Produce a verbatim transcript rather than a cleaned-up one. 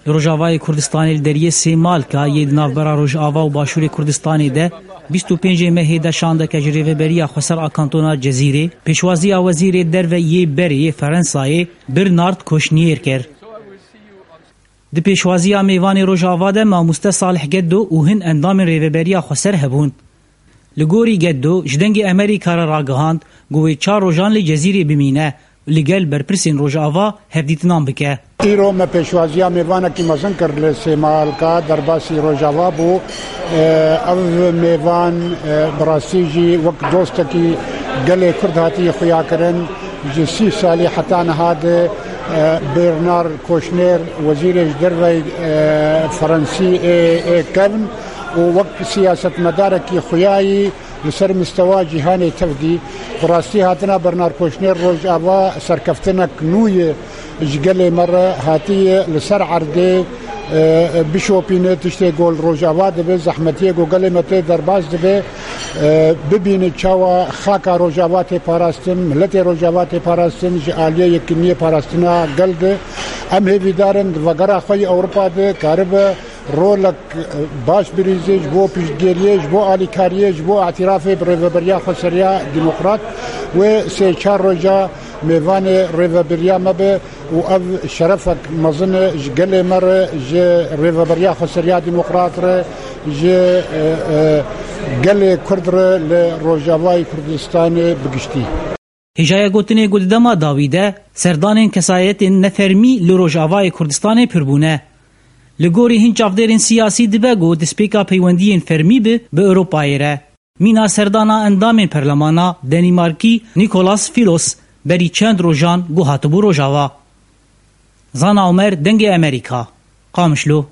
Li Rojavayê Kurdistanê li deriyê Sêmalka yê di navbera Rojava û Başûrê Kurdistanê de bîst û pêncê mehê de şandeke ji Rêveberiya Xweser a Kantona Cezîrê pêşwaziya Wezîrê Derve yê berê yê Ferensayê Bernard Koşniyêr kir. Di pêşwaziya mêvanê Rojava de Mamoste Salih Geddo û hin endamên Rêveberiya Xweser hebûn. Li gorî Geddo ji Dengê Emerîka re ragihand ku wê çar rojan li Cezîrê bimîne û li gel berpirsên Rojava hevdîtinan bike. Îro me pêşwaziya mêvanekî mezin kir li Sêmalka derbasî Rojava bû. Ev mêvan bi rastî jî wek dostekî gelê Kurd hatiye xuyakirin. Ji sî salî heta niha de Bernard Koşner, wezîrê ji derveyî Fransî ê kevn û wek siyasetmedarekî xuyayî li ser mistewa cîhanê tev dî. Bi rastî hatina Bernard Koşner Rojava serkeftinek nû ye ji gelê me re, hatiye li ser erdê bişopîne tiştê ku li Rojava dibe, zehmetiyê ku gelê me tê derbas dibe, bibîne çawa xaka Rojava tê parastin, miletê Rojava tê parastin ji aliyê yekîniyê parastina gel de. Em hêvîdar in di vegera xwe yê Ewropa de karibe rolek baş birîzê ji bo piştgiriyê, ji bo alîkariyê, ji bo îtirafê bi Rêveberiya Xweseriya Demokrat wê sê çar roja mêvanê rêveberiya me be û ev şerefek mezin e ji gelê me re, ji Rêveberiya Xweseriya Demokrat re, ji gelê Kurd re li Rojavayê Kurdistanê bi giştî. Hêjaya gotinê ku di dema dawî de serdanên kesayetên nefermî li Rojavayê Kurdistanê pir bûne. Li gorî hin çavdêrên siyasî dibe ku destpêka peywendiyên fermî bi bi Ewropayê re. Mîna serdana endamên perlemana Denîmarkî Nicolas Filos berî çend rojan ku hatibû Rojava. Zana Omer, Dengê Emerîka, Qamişlo.